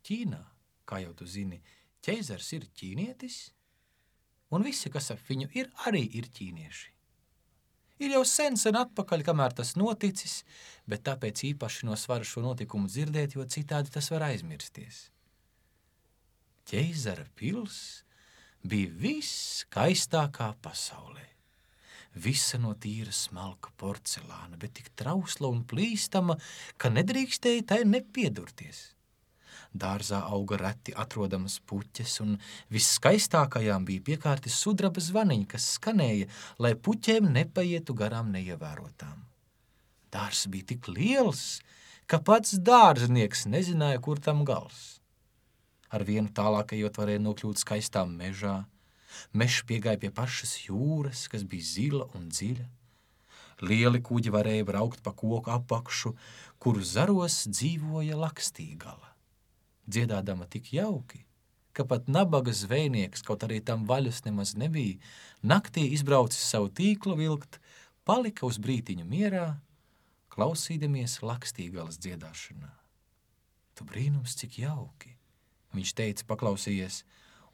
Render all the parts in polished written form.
Ķīnā, kā jau tu zini, ķeizars ir ķīnietis, un visi, kas ap viņu ir, arī ir ķīnieši. Ir jau sen atpakaļ, kamēr tas noticis, bet tāpēc īpaši no svara šo notikumu dzirdēt, jo citādi tas var aizmirsties. Ķeizara pils bija viskaistākā pasaulē. Visa no tīra smalka porcelāna, bet tik trausla un plīstama, ka nedrīkstēja tai nepiedurties. Dārzā auga reti atrodamas puķes, un visskaistākajām bija piekārti sudraba zvaniņi, kas skanēja, lai puķēm nepaietu garām neievērotām. Dārzs bija tik liels, ka pats dārznieks nezināja, kur tam gals. Ar vienu tālākajot varēja nokļūt skaistā mežā. Mežs piegāja pie pašas jūras, kas bija zila un dziļa. Lieli kuģi varēja braukt pa koku apakšu, kuru zaros dzīvoja lakstīgala. Dziedādama tik jauki, ka pat nabaga zvejnieks, kaut arī tam vaļas nemaz nebija, naktī izbraucis savu tīklu vilkt, palika uz brītiņu mierā, klausīdamies lakstīgalas dziedāšanā. Tu brīnums, cik jauki, viņš teica, paklausījies,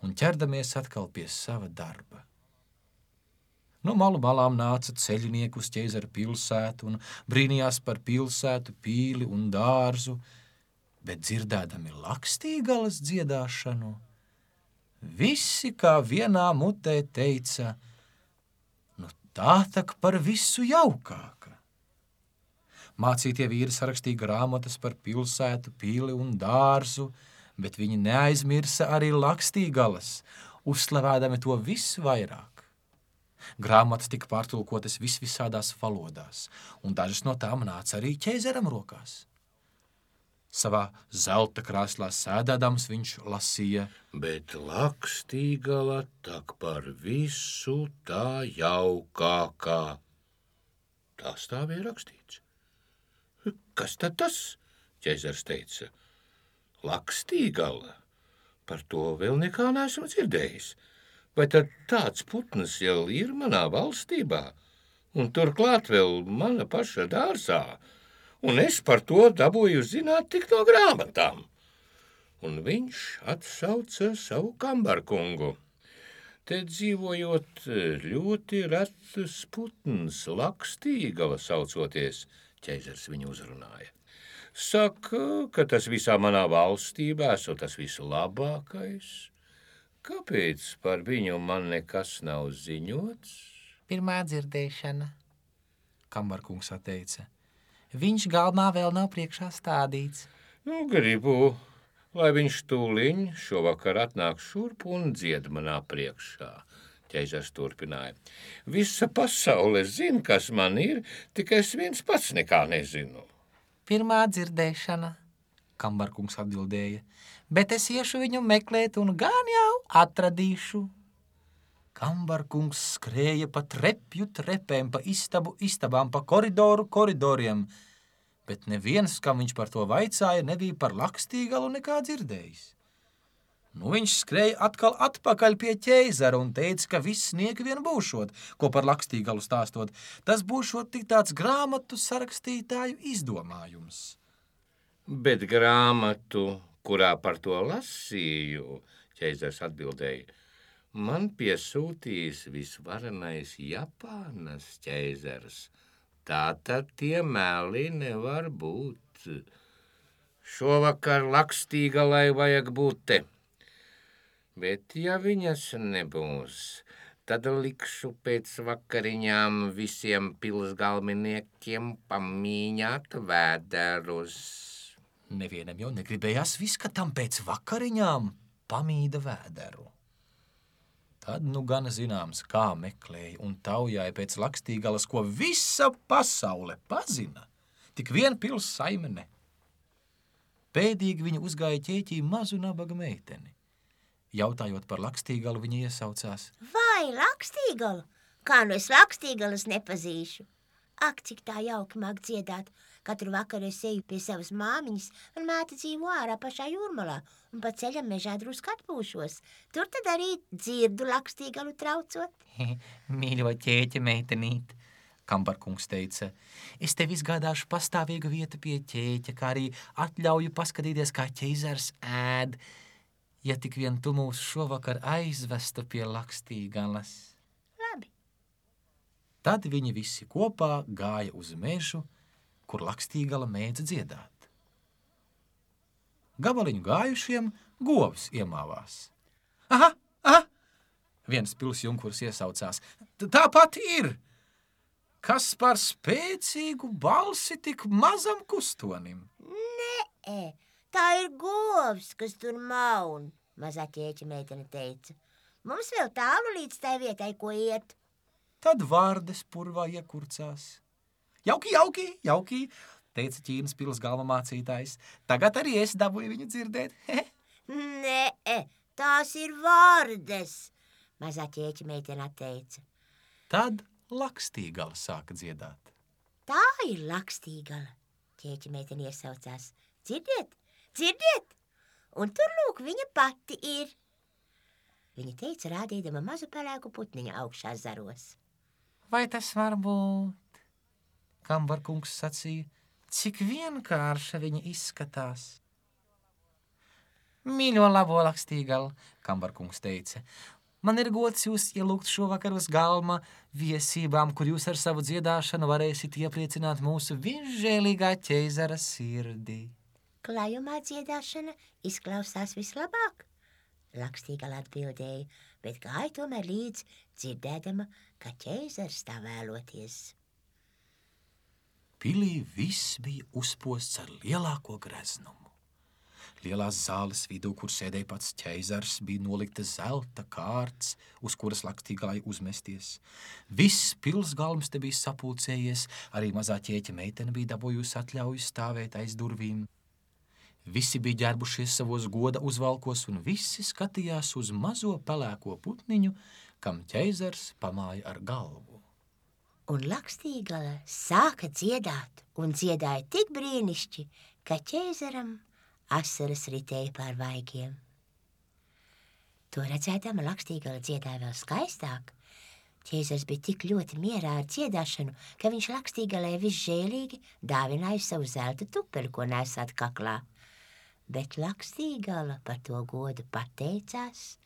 un ķerdamies atkal pie sava darba. No malu malām nāca ceļinieki uz ķeizara pilsētu un brīnījās par pilsētu, pīli un dārzu, bet dzirdēdami lakstīgalas dziedāšanu, visi kā vienā mutē teica, nu tā tak par visu jaukāka. Mācītie vīri sarakstīja grāmatas par pilsētu, pīli un dārzu, bet viņi neaizmirsa arī lakstīgalas, uzslavādami to visu vairāk. Grāmatas tika pārtulkotas visvisādās valodās, un dažas no tām nāca arī ķeizaram rokās. Savā zelta krēslā sēdēdams viņš lasīja, bet lakstīgala tak par visu tā jaukākā. Tas tā bija rakstīts. Kas tad tas? Ķeizars teica. Lakstīgala? Par to vēl nekā neesmu dzirdējis. Vai tad tāds putns jau ir manā valstībā? Un turklāt vēl mana paša dārzā. Un es par to dabūju zināt tik no grāmatām. Un viņš atsauca savu kambarkungu. Te dzīvojot ļoti retus putns, lakstīgala saucoties, ķeizars viņu uzrunāja. Saka, ka tas visā manā valstībā esot tas vislabākais. Kāpēc par viņu man nekas nav ziņots? Pirmā dzirdēšana, kambarkungs atteica. Viņš galmā vēl nav priekšā stādīts. Nu, gribu, lai viņš tūliņ šovakar atnāk šurp un dzied manā priekšā. Ķeizars turpināja. Visa pasaule zina, kas man ir, tikai es viens pats nekā nezinu. Pirmā dzirdēšana, kambarkungs atbildēja, bet es iešu viņu meklēt un gan jau atradīšu. Kambarkungs skrēja pa trepju trepēm, pa istabu istabām, pa koridoru koridoriem, bet neviens, kam viņš par to vaicāja, nebija par lakstīgalu nekā dzirdējis. Nu, viņš skrēja atkal atpakaļ pie ķeizara un teica, ka viss nieki vien būšot, ko par lakstīgalu stāstot. Tas būšot tik tāds grāmatu sarakstītāju izdomājums. Bet grāmatu, kurā par to lasīju, ķeizars atbildēja, man piesūtīs visvarenais Japānas ķeizars. Tātad tie meli nevar būt. Šovakar lakstīgalai vajag būt te. Bet ja viņas nebūs, tad likšu pēc vakariņām visiem pilsgalminiekiem pamīņāt vēderus. Nevienam jau negribējās viskatam pēc vakariņām pamīda vēderu. Tad nu gan zināms, kā meklēja un taujāja pēc lakstīgalas, ko visa pasaule pazina, tik vien pils saime ne. Pēdīgi viņa uzgāja ķēķī mazu nabaga meiteni. Jautājot par lakstīgalu, viņa iesaucās. Vai lakstīgalu? Kā nu es lakstīgalas nepazīšu? Ak, cik tā jauki māk dziedāt. Katru vakaru es eju pie savas māmiņas un māte dzīvo ārā pašā jūrmalā un pa ceļam mežā drusku atpūšos. Tur tad arī dzirdu lakstīgalu traucot. Mīļo ķēķa meitenīt, Kambarkungs teica, es tev izgādāšu pastāvīgu vietu pie ķēķa, kā arī atļauju paskatīties, kā ķeizars ēd, ja tik vien tu mūs šovakar aizvestu pie Lakstīgalas. Labi. Tad viņi visi kopā gāja uz mežu, kur Lakstīgala mēdza dziedāt. Gabaliņu gājušiem govs iemāvās. Aha! Viens pilsjunkurs iesaucās. Tāpat ir! Kas par spēcīgu balsi tik mazam kustonim? Nē, tā ir govs, kas tur maun, mazā ķēķa meitene teica. Mums vēl tālu līdz tai vietai, ko iet. Tad Vārdes purvā iekurcās. Jauki, teica Ķīnas pils galva mācītājs. Tagad arī es dabūju viņu dzirdēt. Nē, tās ir Vārdes, mazā ķēķa meitene atteica. Tad Lakstīgala sāka dziedāt. Tā ir Lakstīgala, ķēķa meitene iesaucās. Dzirdiet! Un tur lūk viņa pati ir. Viņa teica, rādīdama mazu pelēku putniņu augšā zaros. Vai tas var būt? Kambarkungs sacīja, cik vienkārša viņa izskatās. Mīļo labo Lakstīgala, Kambarkungs teica, man ir gods jūs ielūgt šovakar uz galma viesībām, kur jūs ar savu dziedāšanu varēsit iepriecināt mūsu visžēlīgā ķeizara sirdī. Klājumā dziedāšana izklausās vislabāk, Lakstīgala atbildēja, bet gāja tomēr līdz dzirdēdama, ka ķeizars tā vēloties. Pilī viss bija uzposts ar lielāko greznumu. Lielās zāles vidū, kur sēdēja pats ķeizars, bija nolikta zelta kārts, uz kuras Lakstīgalai uzmesties. Viss pilsgalms te bija sapulcējies, arī mazā ķēķa meitene bija dabūjusi atļauju stāvēt aiz durvīm. Visi bija ģērbušies savos goda uzvalkos, un visi skatījās uz mazo pelēko putniņu, kam ķeizars pamāja ar galvu. Un Lakstīgala sāka dziedāt, un dziedāja tik brīnišķi, ka ķeizaram asaras ritēja pār vaigiem. To redzēdama Lakstīgala dziedāja vēl skaistāk. Ķeizars bija tik ļoti mierā ar dziedāšanu, ka viņš Lakstīgalai visžēlīgi dāvināja savu zelta tupeli, ko nesāt kaklā. Bet Lakstīgala par to godu pateicās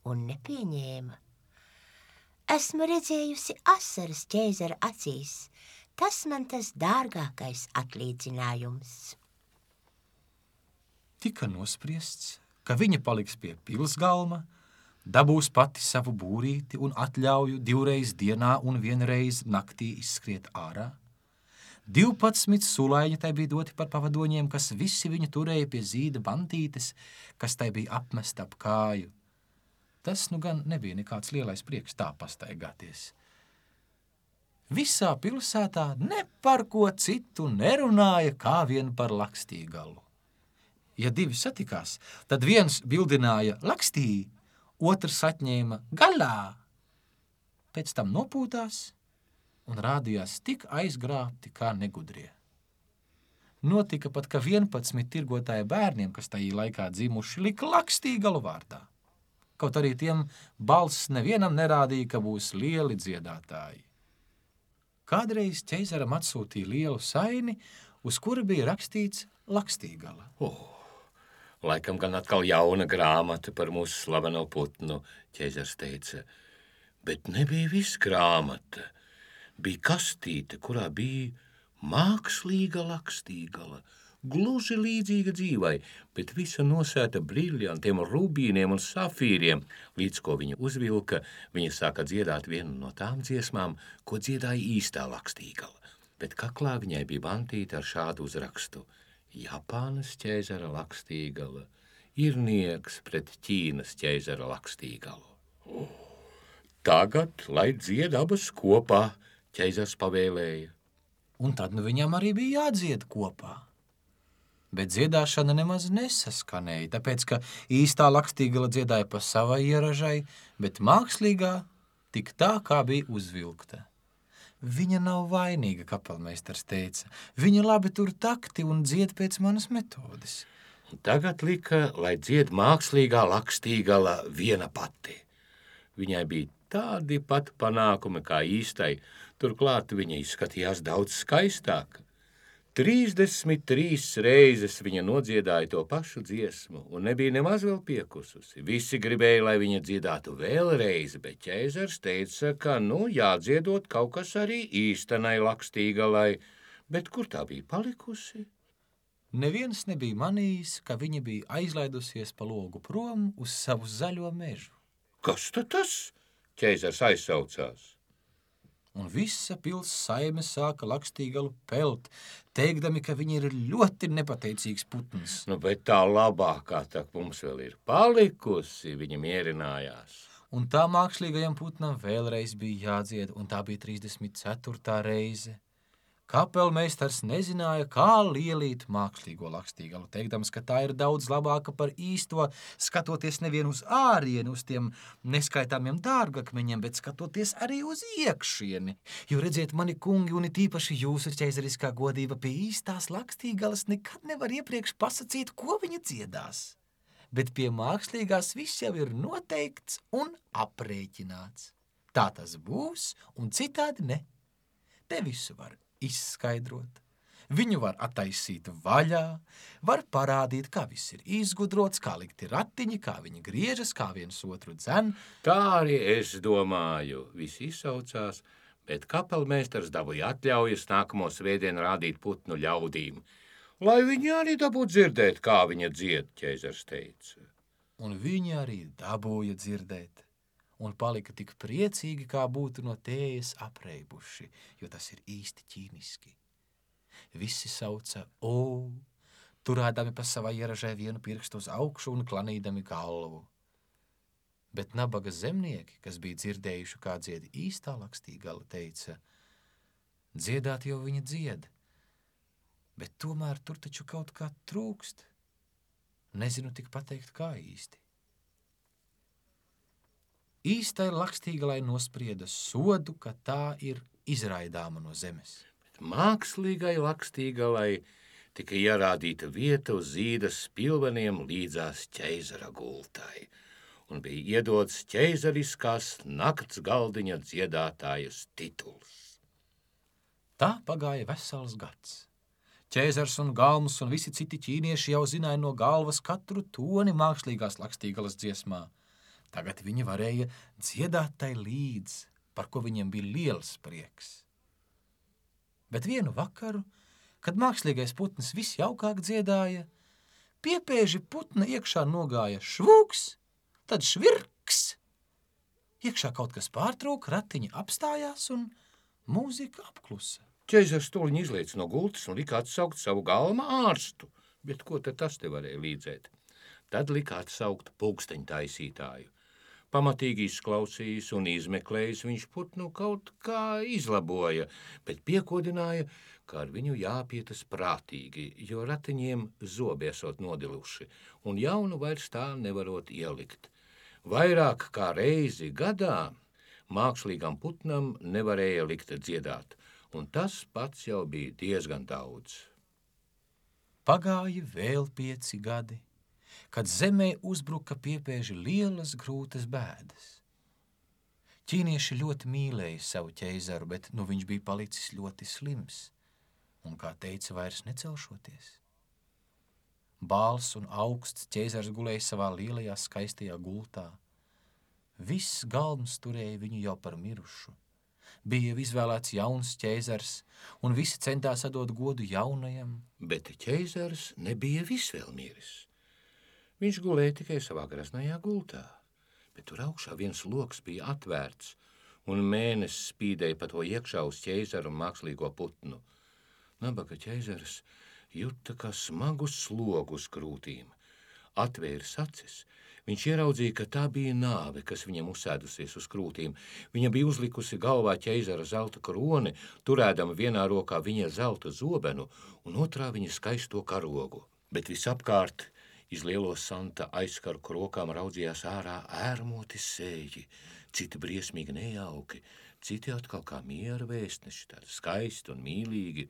un nepieņēma. Esmu redzējusi asaras ķeizara acīs. Tas man tas dārgākais atlīdzinājums. Tika nospriests, ka viņa paliks pie pilsgalma, dabūs pati savu būrīti un atļauju 2 reizes dienā un 1 reizi naktī izskriet ārā. 12 sulaiņi tai bija doti par pavadoņiem, kas visi viņu turēja pie zīda bantītes, kas tai bija apmesta ap kāju. Tas nu gan nebija nekāds lielais prieks tā pastaigāties. Visā pilsētā ne par ko citu nerunāja kā vien par Lakstīgalu. Ja 2 satikās, tad viens bildināja Lakstī, otrs atņēma galā. Pēc tam nopūtās un rādījās tik aizgrābti kā negudrie. Notika pat, ka 11 tirgotāja bērniem, kas tajā laikā dzimuši, lika Lakstīgalu vārdā. Kaut arī tiem balss nevienam nerādīja, ka būs lieli dziedātāji. Kādreiz ķeizaram atsūtīja lielu saini, uz kura bija rakstīts Lakstīgala. Laikam gan atkal jauna grāmata par mūsu slaveno putnu, ķeizars teica. Bet nebija viss grāmata. Bija kastīte, kurā bija mākslīga Lakstīgala, gluži līdzīga dzīvai, bet visa nosēta briljantiem, rubīniem un safīriem. Līdz ko viņa uzvilka, viņa sāka dziedāt vienu no tām dziesmām, ko dziedāja īstā Lakstīgala. Bet kaklā viņai bija bantīta ar šādu uzrakstu. Japānas ķeizara Lakstīgala ir nieks pret Ķīnas ķeizara Lakstīgalu. Tagad, lai dzied abas kopā, ķeizars pavēlēja. Un tad viņam arī bija jādzied kopā. Bet dziedāšana nemaz nesaskanēja, tāpēc, ka īstā Lakstīgala dziedāja pa savai ieražai, bet mākslīgā tik tā, kā bija uzvilkta. Viņa nav vainīga, kapelmeistars teica. Viņa labi tur takti un dzied pēc manas metodes. Tagad lika, lai dzied mākslīgā Lakstīgala viena pati. Viņai bija tādi pat panākumi kā īstai, Turklāt viņa izskatījās daudz skaistāka. 33 reizes viņa nodziedāja to pašu dziesmu, un nebija nemaz vēl piekususi. Visi gribēja, lai viņa dziedātu vēlreiz, bet ķeizars teica, ka, jādziedot kaut kas arī īstenai Lakstīgalai, bet kur tā bija palikusi? Neviens nebija manījis, ka viņa bija aizlaidusies pa logu prom uz savu zaļo mežu. Kas tad tas? Ķeizars aizsaucās. Un visa pils saime sāka Lakstīgalu pelt, teikdami, ka viņa ir ļoti nepateicīgs putns. Bet tā labākā tak mums vēl ir palikusi, viņa mierinājās. Un tā mākslīgajam putnam vēlreiz bija jādzied, un tā bija 34. reize. Kapelmeistars nezināja, kā lielīt mākslīgo Lakstīgalu, teikdams, ka tā ir daudz labāka par īsto, skatoties nevien uz ārieni, uz tiem neskaitāmiem dārgakmeņiem, bet skatoties arī uz iekšieni. Jo redziet, mani kungi, un it īpaši jūsu ķeizariskā godība, pie īstās Lakstīgalas nekad nevar iepriekš pasacīt, ko viņa dziedās. Bet pie mākslīgās viss jau ir noteikts un aprēķināts. Tā tas būs, un citādi ne. Te visu var izskaidrot. Viņu var attaisīt vaļā, var parādīt, kā viss ir izgudrots, kā likti ratiņi, kā viņi griežas, kā viens otru dzen. Tā arī es domāju, visi izsaucās, bet kapelmeistars dabūja atļaujas nākamo svētdienu rādīt putnu ļaudīm, lai viņi arī dabūtu dzirdēt, kā viņa dzied, ķeizars teica. Un viņi arī dabūja dzirdēt. Un palika tik priecīgi, kā būtu no tējas apreibuši, jo tas ir īsti ķīniski. Visi sauca o, turēdami pa savai ieražai vienu pirkstu uz augšu un klanīdami galvu. Bet nabaga zemnieki, kas bija dzirdējuši, kā dzied īstā Lakstīgala, teica, dziedāt jau viņa dzied, bet tomēr tur taču kaut kā trūkst. Nezinu tik pateikt, kā īsti. Īstai Lakstīgalai nosprieda sodu, ka tā ir izraidāma no zemes. Bet mākslīgai Lakstīgalai tika ierādīta vieta uz zīdas spilveniem līdzās ķeizara gultai, un bija iedots ķeizariskās nakts galdiņa dziedātājas tituls. Tā pagāja vesels gads. Ķeizars un galms un visi citi ķīnieši jau zināja no galvas katru toni mākslīgās Lakstīgalas dziesmā. Tagad viņi varēja dziedāt tai līdz, par ko viņiem bija liels prieks. Bet vienu vakaru, kad mākslīgais putns visjaukāk dziedāja, piepēži putna iekšā nogāja švūks, tad švirks. Iekšā kaut kas pārtrūka, ratiņi apstājās un mūzika apklusa. Ķeizars toliņ izliec no gultas un lika atsaukt savu galma ārstu, bet ko tad tas te varēja līdzēt? Tad lika atsaukt pulksteņu taisītāju. Pamatīgi izklausījis un izmeklējis, viņš putnu kaut kā izlaboja, bet piekodināja, ka ar viņu jāpietas prātīgi, jo ratiņiem zobi esot nodiluši, un jaunu vairs tā nevarot ielikt. Vairāk kā reizi gadā mākslīgam putnam nevarēja likt dziedāt, un tas pats jau bija diezgan daudz. Pagāja vēl 5 gadi. Kad zemē uzbruka piepēži lielas grūtas bēdas. Ķīnieši ļoti mīlēja savu ķeizaru, bet viņš bija palicis ļoti slims un, kā teica, vairs necelšoties. Bāls un augsts ķeizars gulēja savā lielajā skaistajā gultā. Viss galms turēja viņu jau par mirušu. Bija izvēlēts jauns ķeizars, un visi centās atdot godu jaunajam. Bet ķeizars nebija visvēl miris. Viņš gulēja tikai savā graznajā gultā, bet tur augšā viens loks bija atvērts, un mēnesis spīdēja pa to iekšā uz ķeizaru un mākslīgo putnu. Nabaga ķeizars juta kā smagu slogu uz krūtīm. Atvēris acis, viņš ieraudzīja, ka tā bija nāve, kas viņam uzsēdusies uz krūtīm. Viņa bija uzlikusi galvā ķeizara zelta kroni, turēdama vienā rokā viņa zelta zobenu un otrā viņa skaisto karogu. Bet visapkārt iz lielo santa aizkaru rokām raudzījās ārā ērmoti sēji, citi briesmīgi nejauki, citi atkal kā miera vēstneši, tādi skaisti un mīlīgi.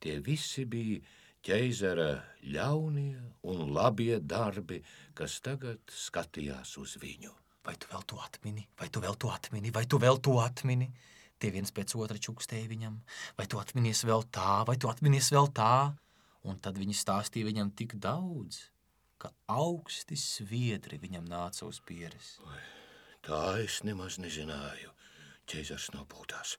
Tie visi bija ķeizara ļaunie un labie darbi, kas tagad skatījās uz viņu. Vai tu vēl to atmini? Vai tu vēl to atmini? Vai tu vēl to atmini? Tie viens pēc otra čukstēja viņam, vai tu atminies vēl tā, vai tu atminies vēl tā, un tad viņi stāstīja viņam tik daudz, ka augsti sviedri viņam nāca uz pieres. Tā es nemaz nezināju. Ķeizars nopūtās.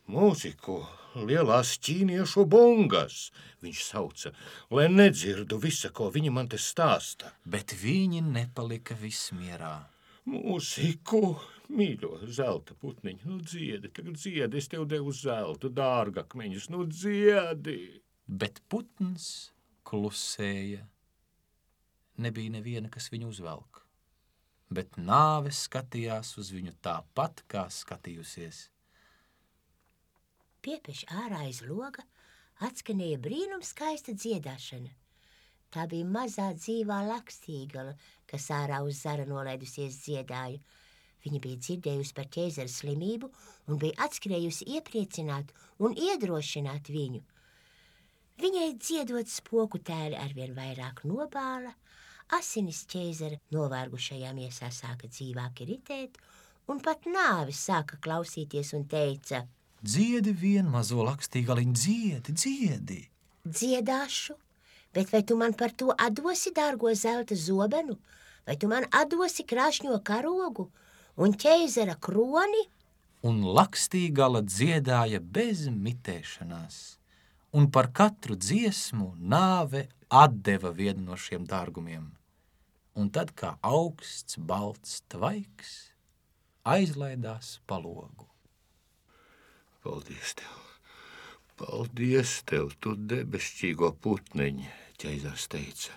Mūziku, lielās ķīniešu bungas, viņš sauca, lai nedzirdu visa, ko viņi man te stāsta. Bet viņi nepalika vismierā. Mūziku, mīļo zelta putniņu, nu dziedi, tagad dziedi, es tev devu zeltu, dārgakmeņus, nu dziedi. Bet putns klusēja. Nebija neviena, kas viņu uzvelk. Bet nāve skatījās uz viņu tāpat, kā skatījusies. Piepeš ārā aiz loga atskanēja brīnums skaista dziedāšana. Tā bija mazā dzīvā lakstīgala, kas ārā uz zara nolaidusies dziedāja. Viņa bija dzirdējusi par ķeizara slimību un bija atskrējusi iepriecināt un iedrošināt viņu. Viņai dziedot spoku tēli arvien vairāk nobāla, asinis ķeizara novārgušajā miesā sāka dzīvāk ritēt, un pat nāvis sāka klausīties un teica: Dziedi vien, mazo lakstīgaliņu, dziedi! Dziedāšu, bet vai tu man par to atdosi dārgo zelta zobenu, vai tu man atdosi krāšņo karogu un ķeizara kroni? Un lakstīgala dziedāja bez mitēšanās, un par katru dziesmu nāve atdeva vienu no šiem dārgumiem. Un tad, kā augsts, balts tvaiks, aizlaidās pa logu. Paldies tev, tu debesšķīgo putniņi, ķeizars teica.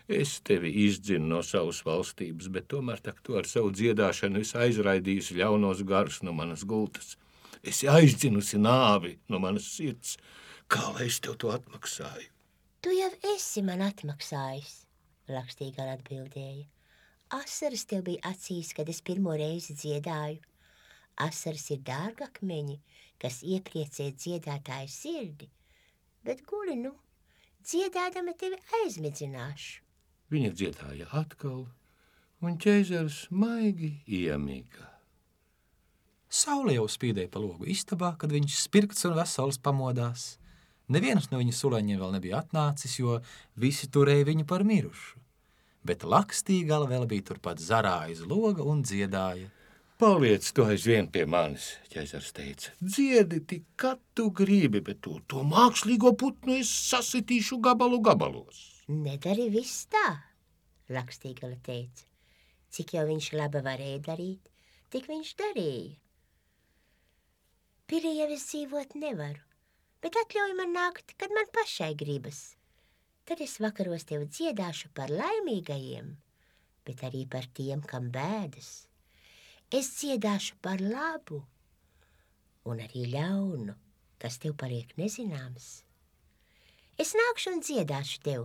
Es tevi izdzinu no savas valstības, bet tomēr tak tu ar savu dziedāšanu esi aizraidījusi ļaunos garus no manas gultas. Esi aizdzinusi nāvi no manas sirds. Kā lai es tev to atmaksāju? Tu jau esi man atmaksājis, lakstīgala atbildēja. Asaras tev bija acīs, kad es pirmo reizi dziedāju. Asaras ir dārgakmeņi, kas iepriecē dziedātāju sirdi, bet guli, dziedādama tevi aizmidzināšu. Viņa dziedāja atkal, un ķeizars maigi iemiga. Saule jau spīdēja pa logu istabā, kad viņš spirkts un vesels pamodās. Neviens no viņa suleņiem vēl nebija atnācis, jo visi turēja viņu par mirušu. Bet lakstīgala vēl bija turpat zarā aiz loga un dziedāja. Paliec tu aizvien pie manis, ķeizars teica. Dziedi tik, kad tu gribi, bet to mākslīgo putnu es sasitīšu gabalos. Nedari viss tā, lakstīgala teica. Cik jau viņš labi varēja darīt, tik viņš darīja. Pilī jau es dzīvot nevaru, bet atļauj man nākt, kad man pašai gribas. Tad es vakaros tev dziedāšu par laimīgajiem, bet arī par tiem, kam bēdas. Es dziedāšu par labu un arī ļaunu, kas tev paliek nezināms. Es nākšu un dziedāšu tev,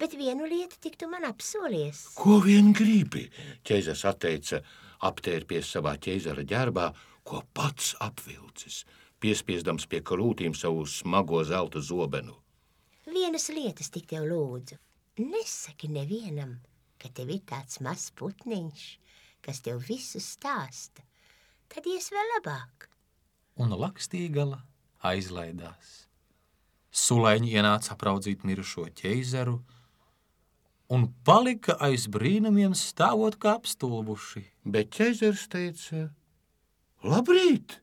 bet vienu lietu tik tu man apsolies. Ko vien gribi, ķeizars atteica, aptērpies savā ķeizara ģerbā, ko pats apvilcis, piespiesdams pie krūtīm savu smago zelta zobenu. Vienas lietas tik tev lūdzu. Nesaki nevienam, ka tev ir tāds mazs putniņš, kas tev visu stāsta, tad ies vēl labāk. Un lakstīgala aizlaidās. Sulēņi ienāca apraudzīt mirušo ķeizaru un palika aiz brīnumiem stāvot kā apstulbuši. Bet ķeizars teica: Labrīt!